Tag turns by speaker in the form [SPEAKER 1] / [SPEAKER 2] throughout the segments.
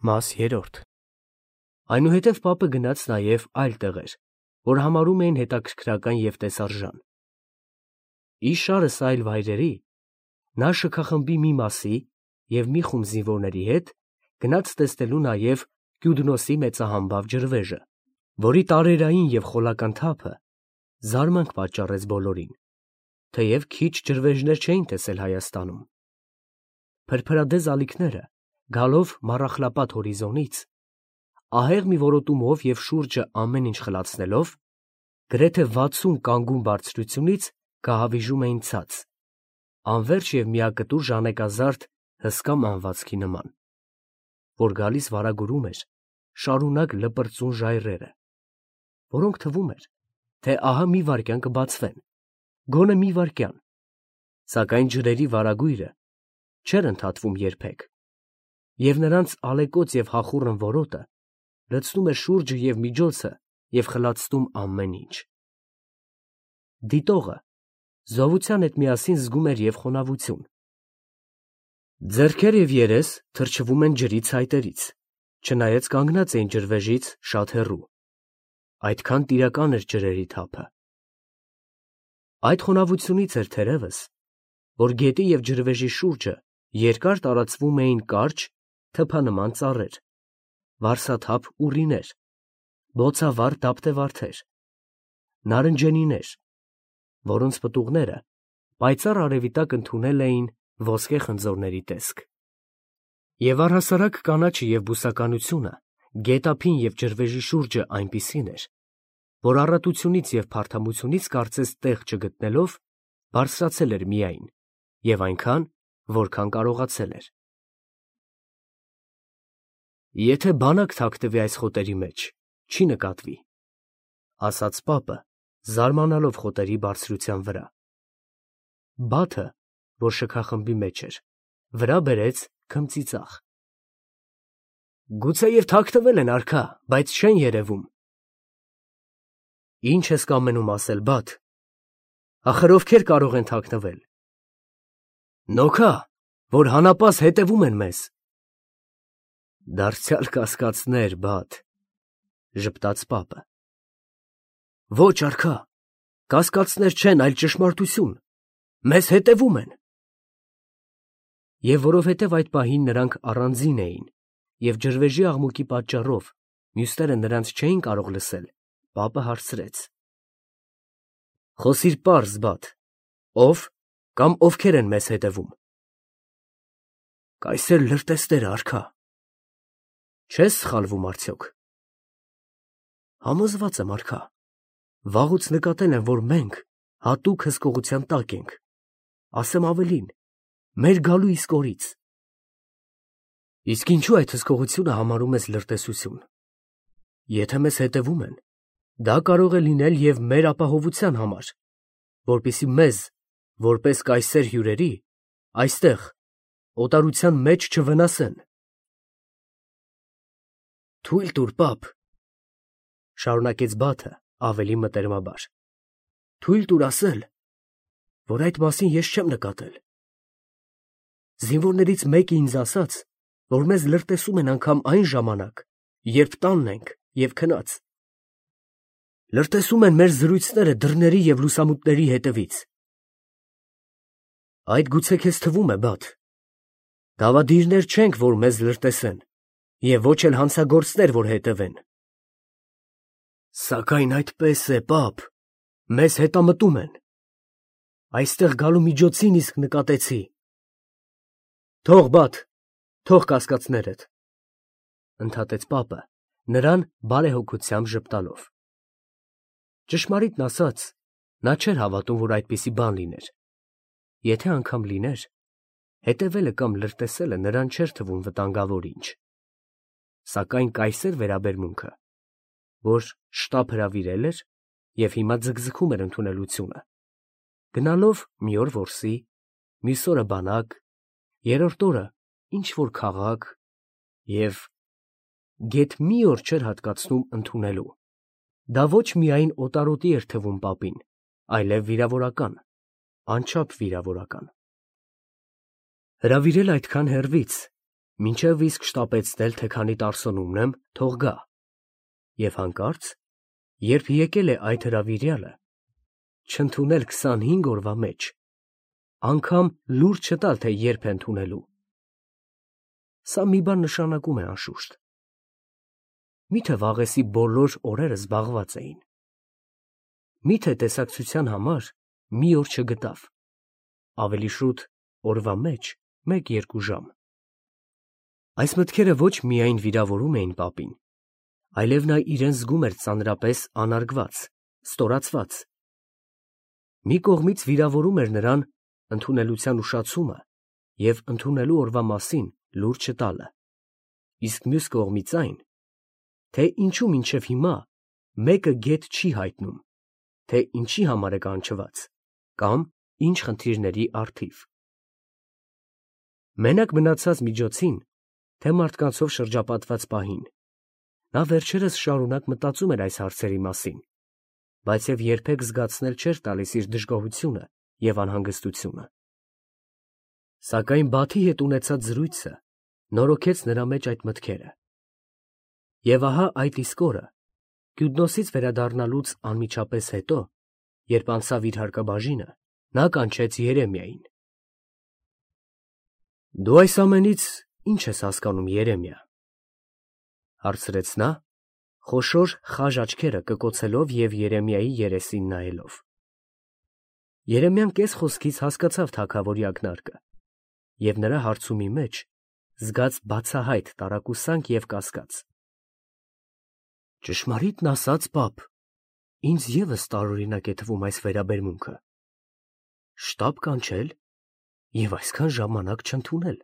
[SPEAKER 1] Մաս 3 Այնուհետև պապը գնաց նաև այլ տեղեր, որ համարում էին հետաքրքրական և տեսարժան։ Իս շարս այլ վայրերի, նա շքախմբի մի մասի և մի խումբ զինվորների հետ գնաց տեսնելու նաև Կյուդնոսի մեծահամբավ ջրվեժը, որի տարերային և խոլական թափը զարմանք պատճառեց բոլորին, թեև քիչ ջրվեժներ չէին տեսել Հայաստանում։ Փրփրադեզ ալիքները, գալով Մառախլապատ հորիզոնից, ահեղ մի որոտումով և շուրջը ամեն ինչ խլացնելով, գրեթե 60 կանգուն բարձրությունից կահավիժում էին ցած, անվերջ և միակտուր ժանեկազարդ հսկա մանվածքի նման, որ գալիս վարագուրում էր շարունակ լպրծուն ժայռերը, որոնք թվում էր, թե ահա մի վայրկյան կբացվեն, գոնե մի վայրկյան, սակայն ջրերի վարագույրը չէր ընդհատվում երբեք, և նրանց ալեկոծ և հախուռն որոտը լցնում էր շուրջը և միջոցը և խլացնում ամեն ինչ։ Դիտողը զովության հետ միասին զգում էր և խոնավություն։ Ձեռքեր և երես թրջվում են ջրի ցայտերից, չնայած կանգնած էին ջրվեժից շատ հեռու, այդքան տիրական էր ջրերի թափը։ Այդ խոնավությունից էր թերևս, որ գետի և ջրվեժի շուրջը երկար տարածվում էին կարճ, թփանման ծառեր, վարսաթափ ուռիներ, բոցավառ դափտեվարդեր, նարնջենիներ, որոնց պտուղները պայծառ արևի տակ ընդունել էին ոսկե խնձորների տեսք։ Եվ առհասարակ կանաչը և բուսականությունը գետափին և ջրվեժի շուրջը այնպիսին էր, որ առատությունից և փարթամությունից կարծես տեղ չգտնելով բարձրացել էր միայն և այնքան, որքան կարողացել էր։ «Եթե բանակ թաքնվի այս խոտերի մեջ, չի նկատվի», ֊ ասաց պապը, զարմանալով խոտերի բարձրության վրա։ Բաթը, որ շքախմբի մեջ էր, վրա բերեց քմծիծաղ։ «Գուցեև թաքնվել են, արքա, բայց չեն երևում»։ «Ի՞նչ ես կամենում ասել, Բաթ, ախր ովքեր կարող են թաքնվել»։ «Նոքա, որ հանապազ հետևում են մեզ»։ «Դարձյալ կասկածներ, Բաթ», ֊ ժպտաց պապը։ «Ոչ, արքա, կասկածներ չեն, այլ ճշմարտություն, մեզ հետևում են»։ Եվ որովհետև այդ պահին նրանք առանձին էին և ջրվեժի աղմուկի պատճառով մյուսները նրանց չէին կարող լսել, պապը հարցրեց. «Խոսիր պարզ, Բաթ, ո՞վ կամ ովքեր են մեզ հետևում»։ «Կայսեր լրտեսները, արքա»։ «Չես սխալվում արդյոք»։ «Համոզված եմ, արքա, վաղուց նկատել են, որ մենք հատուկ հսկողության տակ ենք, ասեմ ավելին, մեր գալու իսկ օրից»։ «Իսկ ինչո՞ւ այդ հսկողությունը համարում ես լրտեսություն։ Եթե մեզ հետևում են, դա կարող է լինել և մեր ապահովության համար, որպեսզի մեզ, որպես կայսեր հյուրերի, այստեղ, օտարության մեջ չվնասեն»։ «Թույլ տուր, պապ», ֊ շարունակեց Բաթը ավելի մտերմաբար, «թույլ տուր ասել, որ այդ մասին ես չեմ նկատել։ Զինվորներից մեկը ինձ ասաց, որ մեզ լրտեսում են անգամ այն ժամանակ, երբ տանն ենք և քնած։ Լրտեսում են մեր զրույցները դռների և լուսամուտների հետևից։ Այդ գուցե քեզ թվում է, Բաթ. դավադիրներ չենք, որ մեզ լրտեսեն, և ոչ էլ հանցագործներ, որ հետևեն։ Սակայն այդպես է, պապ, մեզ հետամտում են։ Այստեղ գալու միջոցին իսկ նկատեցի։ Թող, Բաթ, թող կասկածներդ, ֊ ընդհատեց պապը, նրան բարեհոգությամբ ժպտալով։ Ճշմարիտն ասած, նա չէր հավատում, որ այդպիսի բան լիներ։ Եթե անգամ լիներ, հետևելը կամ լրտեսելը նրան չէր թվում վտանգավոր ինչ։ Սակայն կայսեր վերաբերմունքը, որ շտապ հրավիրել էր և հիմա ձգձգում էր ընդունելությունը, գնալով մի օր որսի, մյուս օրը բանակ, երրորդ օրը ինչ֊որ քաղաք և գեթ մի օր չէր հատկացնում ընդունելու, դա ոչ միայն օտարոտի էր թվում պապին, այլև վիրավորական, անչափ վիրավորական։ Հրավիրել այդքան հեռվից, Մինչև իսկ շտապեցնել, թե քանի տարսոնում եմ, թող գա։ Եվ հանկարծ, երբ եկել է այդ հրավիրյալը, չընդունել 25 օրվա մեջ, անգամ լուր չտալ, թե երբ է ընդունելու։ Սա մի բան նշանակում է անշուշտ։ Միթե վաղեսի բոլոր օրերը զբաղված էին։ Միթե տեսակցության համար մի օր չգտավ, ավելի շուտ օրվա մեջ 1-2 ժամ։ Այս մտքերը ոչ միայն վիրավորում էին պապին, այլև նա իրեն զգում էր ծանրապես անարգված, ստորացված։ Մի կողմից վիրավորում էր նրան ընդունելության ուշացումը և ընդունելու օրվա մասին լուր չտալը, իսկ մյուս կողմից այն, թե ինչու մինչև հիմա մեկը գետ չի հայտնում, թե ինչի համար է կանչված կամ ինչ խնդիրների առթիվ։ Մենակ մնացած միջոցին, թե մարդկանցով շրջապատված պահին, նա վերջերս շարունակ մտածում էր այս հարցերի մասին, բայց և երբեք զգացնել չէր տալիս իր դժգոհությունը և անհանգստությունը։ Սակայն Բաթի հետ ունեցած զրույցը նորոգեց նրա մեջ այդ մտքերը։ Եվ ահա այդ իսկ օրը, Կյուդնոսից վերադառնալուց անմիջապես հետո, երբ անցավ իր հարկաբաժինը, նա կանչեց Երեմիային։ «Դու այս ամենից ի՞նչ ես հասկանում, Երեմիա», հարցրեց նա, խոշոր խաժ աչքերը կկոցելով և Երեմիայի երեսին նայելով։ Երեմիան կես խոսքից հասկացավ թագավորի ակնարկը և նրա հարցումի մեջ զգաց բացահայտ տարակուսանք և կասկած։ «Ճշմարիտն ասած, պապ, ինձ ևս տարօրինակ է թվում այս վերաբերմունքը. շտապ կանչել և այսքան ժամանակ չընդունել։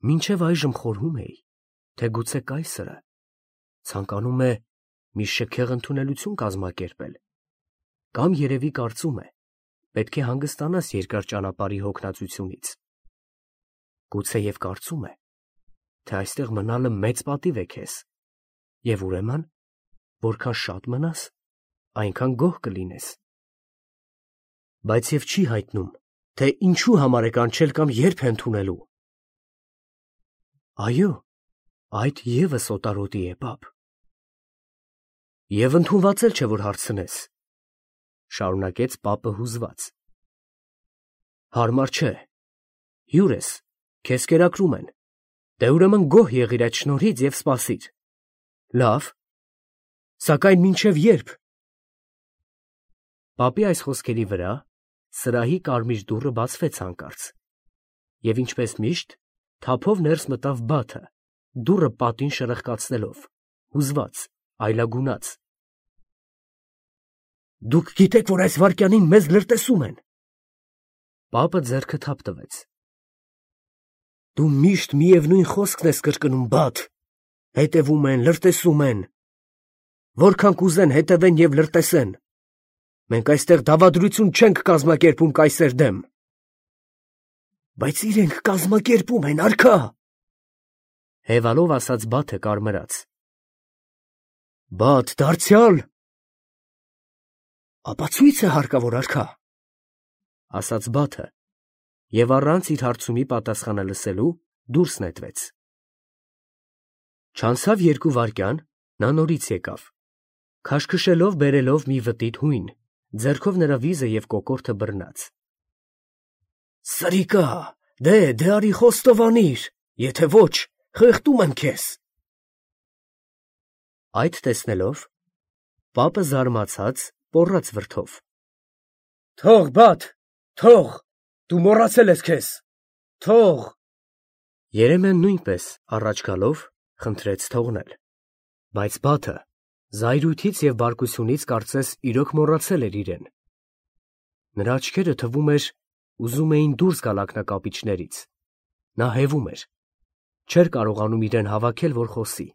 [SPEAKER 1] Մինչև այժմ խորհում էի, թե գուցե կայսրը ցանկանում է մի շքեղ ընդունելություն կազմակերպել, կամ երևի կարծում է, պետք է հանգստանաս երկար ճանապարհի հոգնածությունից։ Գուցեև կարծում է, թե այստեղ մնալը մեծ պատիվ է քեզ, և ուրեմն, որքան շատ մնաս, այնքան գոհ կլինես։ Բայց և չի հայտնում, թե ինչու համար է կանչել կամ երբ է ընդունելու։ Այո, այդ ևս օտարոտի է, պապ։ Եվ ընդունված էլ չէ, որ հարցնես, շարունակեց պապը հուզված։ Հարմար չէ, հյուր ես, քեզ կերակրում են, դե ուրեմն գոհ եղիր այդ շնորհից և սպասիր։ Լավ, սակայն մինչև ե՞րբ։ Պապի այս խոսքերի վրա սրահի կարմիր դուռը բացվեց հանկարծ, և ինչպես միշտ, թափով ներս մտավ Բաթը, դուռը պատին շրխկացնելով, հուզված, այլագունած։ Դուք գիտեք, որ այս վայրկյանին մեզ լրտեսում են։ Պապը ձեռքը թափ տվեց։ Դու միշտ միևնույն խոսքն ես կրկնում, Բաթ. հետևում են, լրտեսում են։ Որքան կուզեն հետևեն և լրտեսեն։ Մենք այստեղ դավադրություն չենք կազմակերպում կայսեր դեմ։ Բայց իրենք կազմակերպում են, արքա։ Հևալով ասաց Բաթը կարմրած։ Բաթ, դարձյալ։ Ապացույց է հարկավոր, արքա, ասաց Բաթը, և առանց իր հարցումի պատասխանը լսելու դուրս նետվեց։ Չանցավ 2 վայրկյան, նա նորից եկավ, քաշքշելով բերելով մի վտիտ հույն, ձեռքով նրա վիզը և կոկորդը բռնած։ Սրիկա, դե արի խոստովանիր, եթե ոչ, խեղդում եմ քեզ։ Այդ տեսնելով, պապը զարմացած պոռաց վրդով։ Թող, Բաթ, թող, դու մոռացել ես քեզ, թող։ Երեմիան նույնպես առաջ գալով խնդրեց թողնել, բայց Բաթը զայրույթից և բարկությունից կարծես իրոք մոռացել էր իրեն։ Նրա աչքերը թվում էր ուզում էին դուրս գալ ակնակապիճներից, նա հևում էր, չէր կարողանում իրեն հավաքել, որ խոսի,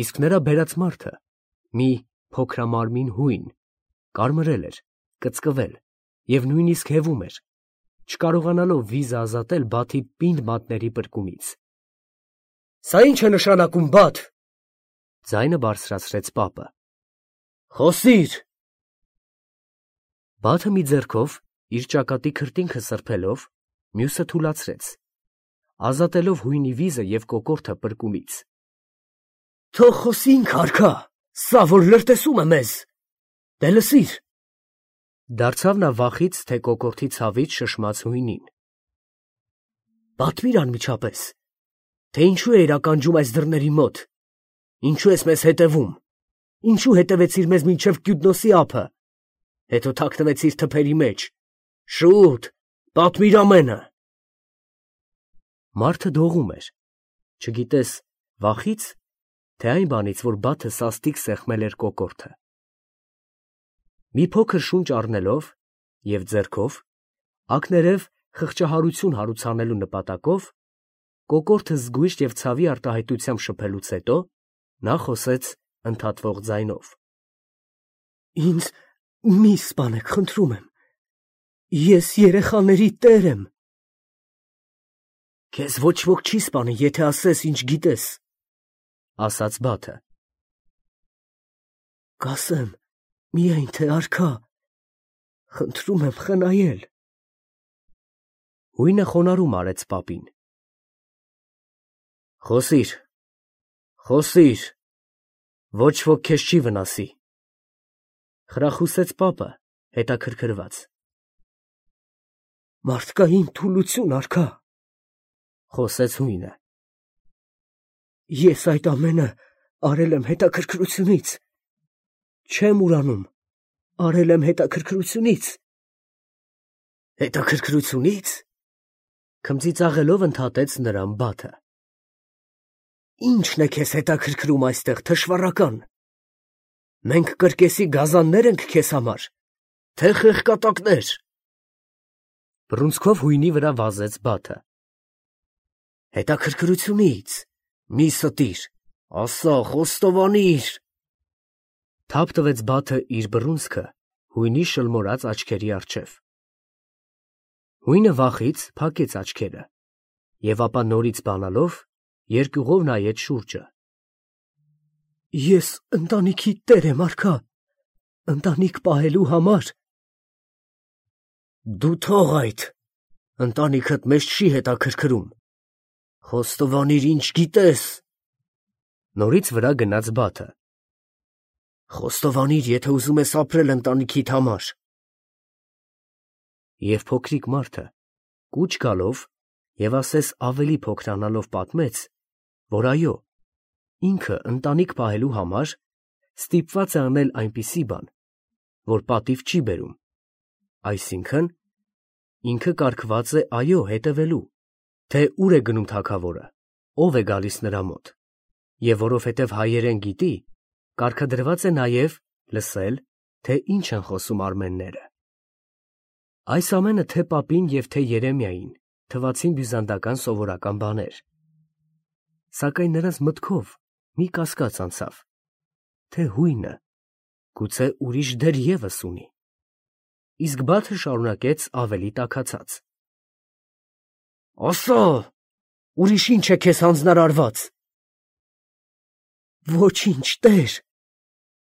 [SPEAKER 1] իսկ նրա բերած մարդը, մի փոքրամարմին հույն, կարմրել էր, կծկվել և նույնիսկ հևում էր, չկարողանալով վիզը ազատել Բաթի պինդ մատների պրկումից։ Սա ի՞նչ է նշանակում, Բաթ, ձայնը բարձրացրեց պապը։ Խոսիր։ Բաթը մի ձեռքով իր ճակատի քրտինքը սրբելով, մյուսը թուլացրեց, ազատելով հույնի վիզը և կոկորդը պրկումից։
[SPEAKER 2] Թող խոսինք, արքա, սա որ լրտեսում է մեզ, դե լսիր,
[SPEAKER 1] Դարձավ նա վախից, թե կոկորդի ցավից շշմած հույնին։
[SPEAKER 2] պատմիր անմիջապես, թե ինչու էիր ականջում այս դռների մոտ, ինչու ես մեզ հետևում, ինչու հետևեցիր մեզ մինչև Կյուդնոսի ափը, հետո թաքնվեցիր թփերի մեջ, շուտ, պատմիր ամենը։
[SPEAKER 1] Մարդը դողում էր, չգիտես վախից, թե այն բանից, որ բաթը սաստիկ սեղմել էր կոկորդը։ Մի փոքր շունչ առնելով և ձեռքով, ակներև խղճահարություն հարուցանելու նպատակով, կոկորդը զգույշ և ցավի արտահայտությամբ շփելուց հետո, նա խոսեց ընդհատվող ձայնով.
[SPEAKER 2] Ինձ մի սպանեք, խնդրում եմ, ես երեխաների տեր եմ։ Քեզ ոչ ոք չի սպանի, եթե ասես, ինչ գիտես,
[SPEAKER 1] ասաց բաթը։
[SPEAKER 2] Կասեմ, միայն թե արքա, խնդրում եմ խնայել։
[SPEAKER 1] Հույնը խոնարհում արեց պապին։ Խոսիր, խոսիր, ոչ ոք քեզ չի վնասի, խրախուսեց պապը, հետաքրքրված։
[SPEAKER 2] Մարդկային թուլություն, արքա,
[SPEAKER 1] խոսեց հույնը։
[SPEAKER 2] Ես այդ ամենը արել եմ հետաքրքրությունից, չեմ ուրանում, արել եմ հետաքրքրությունից։ Հետաքրքրությունից,
[SPEAKER 1] քմծիծաղելով ընդհատեց նրան բաթը։
[SPEAKER 2] Ի՞նչն է քեզ հետաքրքրում այստեղ, թշվառական։ Մենք կրկեսի գազաններ ենք քեզ համար, թե խեղկատակներ։
[SPEAKER 1] Բռունցքով հույնի վրա վազեց բաթը։
[SPEAKER 2] Հետաքրքրությունից, մի ստիր, ասա, խոստովանիր։
[SPEAKER 1] Թափ տվեց բաթը իր բռունցքը հույնի շլմորած աչքերի առջև։ Հույնը վախից փակեց աչքերը և ապա նորից բանալով երկյուղով նայեց շուրջը։
[SPEAKER 2] Ես ընտանիքի տեր եմ, արքա, ընտանիք պահելու համար։ Դու թող այդ, ընտանիքդ մեզ չի հետաքրքրում, խոստովանիր, ինչ գիտես։
[SPEAKER 1] Նորից վրա գնաց բաթը։
[SPEAKER 2] Խոստովանիր, եթե ուզում ես ապրել ընտանիքիդ համար։
[SPEAKER 1] Եվ փոքրիկ մարդը, կուչ գալով և ասես ավելի փոքրանալով պատմեց, որ այո, ինքը ընտանիք պահելու համար ստիպված է անել այնպիսի բան, որ պատիվ չի բերում, այսինքն, ինքը կարգված է այո հետևելու, թե ուր է գնում թագավորը, ով է գալիս նրա մոտ, և որովհետև հայերեն գիտի, կարգադրված է նաև լսել, թե ինչ են խոսում արմենները։ Այս ամենը թե պապին և թե Երեմիային թվացին բյուզանդական սովորական բաներ, սակայն նրանց մտքով մի կասկած անցավ, թե հույնը գուցե ուրիշ դեր ևս ունի, իսկ բաթը շարունակեց ավելի տաքացած.
[SPEAKER 2] Ասա, ուրիշ ինչ է քեզ հանձնարարված։ Ոչինչ, տեր։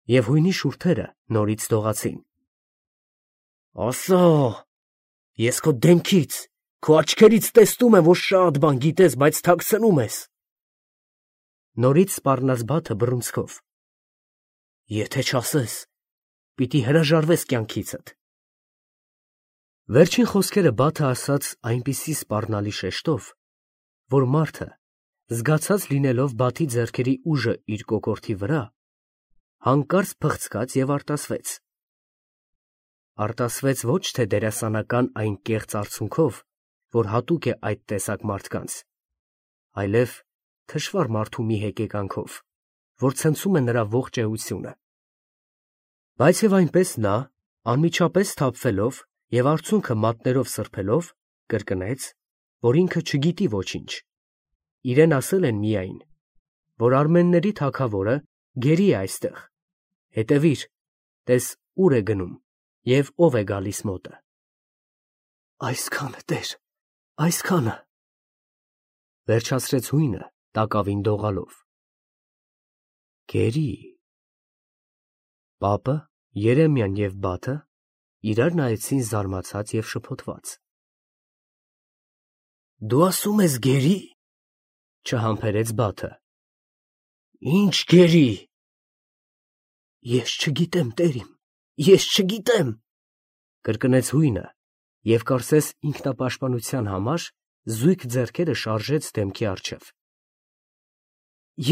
[SPEAKER 1] Եվ հույնի շուրթերը նորից դողացին։
[SPEAKER 2] Ասա, ես քո դեմքից, քո աչքերից տեսնում եմ, որ շատ բան գիտես, բայց թաքցնում ես։
[SPEAKER 1] Նորից սպառնաց բաթը բռունցքով։
[SPEAKER 2] Եթե չասես, պիտի հրաժարվես կյանքիցդ։
[SPEAKER 1] Վերջին խոսքերը բաթը ասաց այնպիսի սպառնալի շեշտով, որ մարդը, զգացած լինելով բաթի ձեռքերի ուժը իր կոկորդի վրա, հանկարծ փխցկաց և արտասվեց։ Արտասվեց ոչ թե դերասանական այն կեղծ արցունքով, որ հատուկ է այդ տեսակ մարդկանց, այլև թշվառ մարդու մի հեկեկանքով, որ ցնցում է նրա ողջ էությունը։ Բայց և այնպես նա, անմիջապես սթափվելով և արցունքը մատներով սրբելով, կրկնեց, որ ինքը չգիտի ոչինչ, իրեն ասել են միայն, որ արմենների թագավորը գերի է այստեղ, հետևիր, տես ուր է գնում և ով է գալիս մոտը։
[SPEAKER 2] Այսքանը, տեր, այսքանը,
[SPEAKER 1] վերջացրեց հույնը տակավին դողալով։ Գերի։ Պապը, Երեմիան և բաթը իրար նայեցին զարմացած և շփոթված։
[SPEAKER 2] Դու ասում ես գերի։
[SPEAKER 1] Չհամբերեց Բաթը։
[SPEAKER 2] Ինչ գերի։ Ես չգիտեմ, տերիմ, ես չգիտեմ,
[SPEAKER 1] կրկնեց հույնը և կարծես ինքնապաշտպանության համար զույգ ձեռքերը շարժեց դեմքի առջև։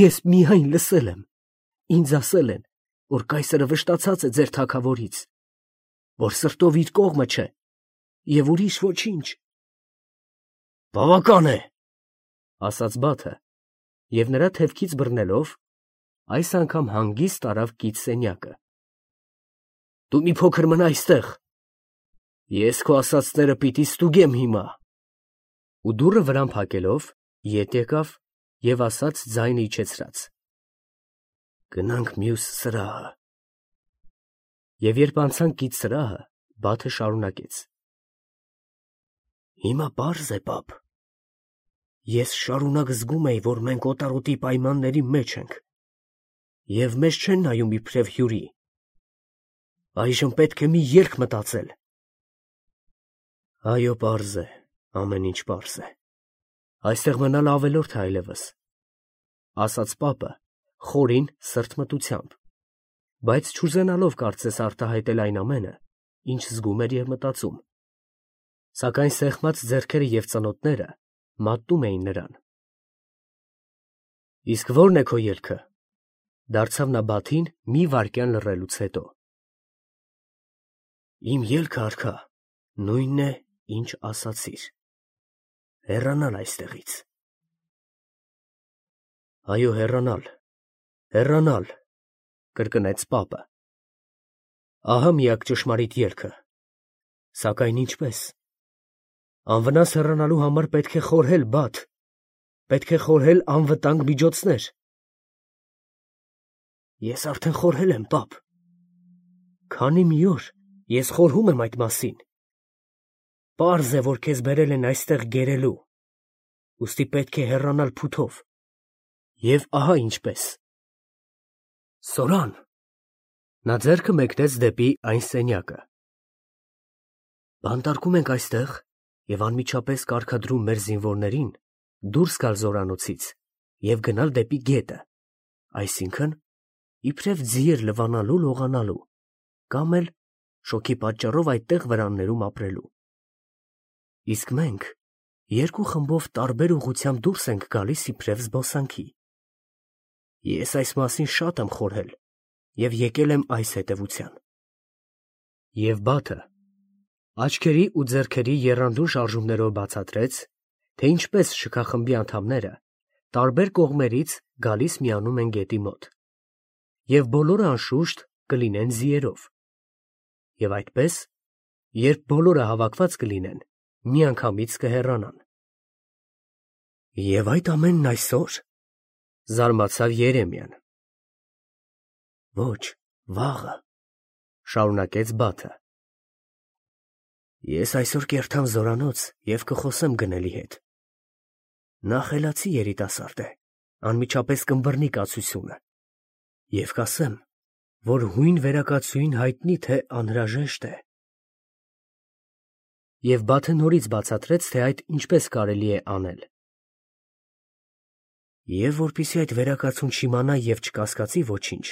[SPEAKER 2] Ես միայն լսել եմ, ինձ ասել են, որ կայսրը վշտացած է ձեր թագավորից, որ սրտով իր կողմը չէ, և ուրիշ ոչինչ։ Բավական է,
[SPEAKER 1] ասաց Բաթը, և նրա թևքից բռնելով, այս անգամ հանգիստ տարավ կից սենյակը։
[SPEAKER 2] Դու մի փոքր մնա այստեղ, ես քո ասածները պիտի ստուգեմ հիմա։
[SPEAKER 1] Ու դուռը վրան փակելով, ետ եկավ և ասաց ձայնը իջեցրած.
[SPEAKER 2] Գնանք մյուս սրահը։
[SPEAKER 1] Եվ երբ անցան կից սրահը, Բաթը շարունակեց.
[SPEAKER 2] Հիմա պարզ է, պապ։ Ես շարունակ զգում էի, որ մենք օտարոտի պայմանների մեջ ենք, և մեզ չեն նայում իբրև հյուրի։ Այժմ պետք է մի ելք մտածել։ Այո, պարզ է, ամեն ինչ պարզ է։
[SPEAKER 1] Այստեղ մնալ ավելորդ է այլևս, ասաց պապը խորին սրտմտությամբ, բայց չուզենալով կարծես արտահայտել այն ամենը, ինչ զգում էր և մտածում, սակայն սեղմած ձեռքերը և ծնոտները մատնում էին նրան։ Իսկ ո՞րն է քո ելքը, դարձավ նա Բաթին մի վայրկյան լռելուց հետո։
[SPEAKER 2] Իմ ելքը, արքա, նույնն է, ինչ ասացիր, հեռանալ այստեղից։
[SPEAKER 1] Այո, հեռանալ, կրկնեց պապը։ Ահա միակ ճշմարիտ ելքը, սակայն ինչպես։ Անվնաս հեռանալու համար պետք է խորհել, Բաթ, պետք է խորհել անվտանգ միջոցներ։
[SPEAKER 2] Ես արդեն խորհել եմ, պապ։
[SPEAKER 1] Քանի մի օր ես խորհում եմ այդ մասին։ Պարզ է, որ քեզ բերել են այստեղ գերելու, ուստի պետք է հեռանալ փութով։ Եվ ահա ինչպես։
[SPEAKER 2] Սորան։
[SPEAKER 1] Նա ձեռքը մեկնեց դեպի այն սենյակը։
[SPEAKER 2] Բանտարկում ենք այստեղ և անմիջապես կարգադրում մեր զինվորներին դուրս գալ զորանոցից և գնալ դեպի գետը, այսինքն, իբրև ձիեր լվանալու լողանալու, կամ էլ շոգի պատճառով այդտեղ վրաններում ապրելու։ Իսկ մենք երկու խմբով տարբեր ուղղությամբ դուրս ենք գալիս իբրև զբոսանքի։ Ես այս մասին շատ եմ խորհել և եկել եմ այս հետևության։
[SPEAKER 1] Եվ Բաթը աչքերի ու ձեռքերի եռանդուն շարժումներով բացատրեց, թե ինչպես շքախմբի անդամները տարբեր կողմերից գալիս միանում են գետի մոտ, և բոլորը անշուշտ կլինեն ձիերով, և այդպես, երբ բոլորը հավաքված կլինեն, միանգամից կհեռանան։
[SPEAKER 2] Եվ այդ ամենն այսօր,
[SPEAKER 1] զարմացավ Երեմիան։
[SPEAKER 2] Ոչ, վաղը,
[SPEAKER 1] շարունակեց Բաթը։
[SPEAKER 2] Ես այսօր կերթամ զորանոց և կխոսեմ գնելի հետ։ Նա խելացի երիտասարդ է, անմիջապես կըմբռնի կացությունը, և կասեմ, որ հույն վերակացուին հայտնի թե անհրաժեշտ է։
[SPEAKER 1] Եվ Բաթը նորից բացատրեց, թե այդ ինչպես կարելի է անել։
[SPEAKER 2] Եվ որպեսզի այդ վերակացուն չիմանա և չկասկածի ոչինչ,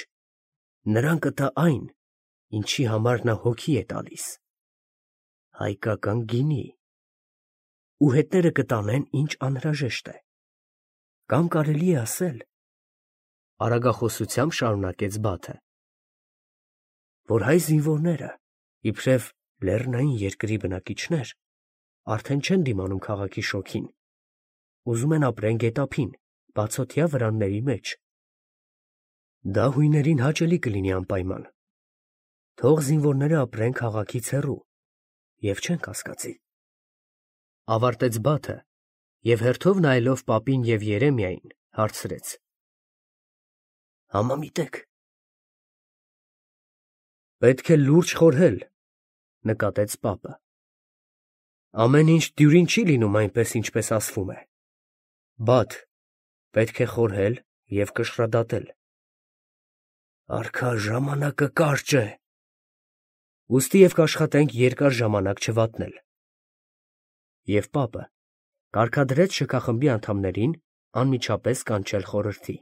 [SPEAKER 2] նրան կտա այն, ինչի համար նա հոգի է տալիս, հայկական գինի, ու հետները կտանեն, ինչ անհրաժեշտ է, կամ կարելի է ասել,
[SPEAKER 1] արագախոսությամբ շարունակեց Բաթը,
[SPEAKER 2] որ հայ զինվորները, իբրև լեռնային երկրի բնակիչներ, արդեն չեն դիմանում քաղաքի շոգին, ուզում են ապրեն գետափին, բացօթյա վրանների մեջ։ Դա հույներին հաճելի կլինի անպայման։ Թող զինվորները ապրեն քաղաքից հեռու և չեն կասկածի։
[SPEAKER 1] Ավարտեց Բաթը և հերթով նայելով պապին և Երեմիային հարցրեց.
[SPEAKER 2] Համամիտեք։
[SPEAKER 1] Պետք է լուրջ խորհել, նկատեց պապը։ Ամեն ինչ դյուրին չի լինում այնպես, ինչպես ասվում է։ Բաթ, պետք է խորհել և կշռադատել։
[SPEAKER 2] Արքա, ժամանակը կարճ է։
[SPEAKER 1] Ուստի և կաշխատենք երկար ժամանակ չվատնել։ Եվ պապը Կարգադրեց շքախմբի անդամներին անմիջապես կանչել խորհրդի։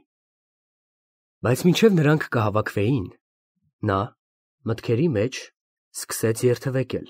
[SPEAKER 1] Բայց մինչև նրանք կհավաքվեին, նա մտքերի մեջ սկսեց երթևեկել։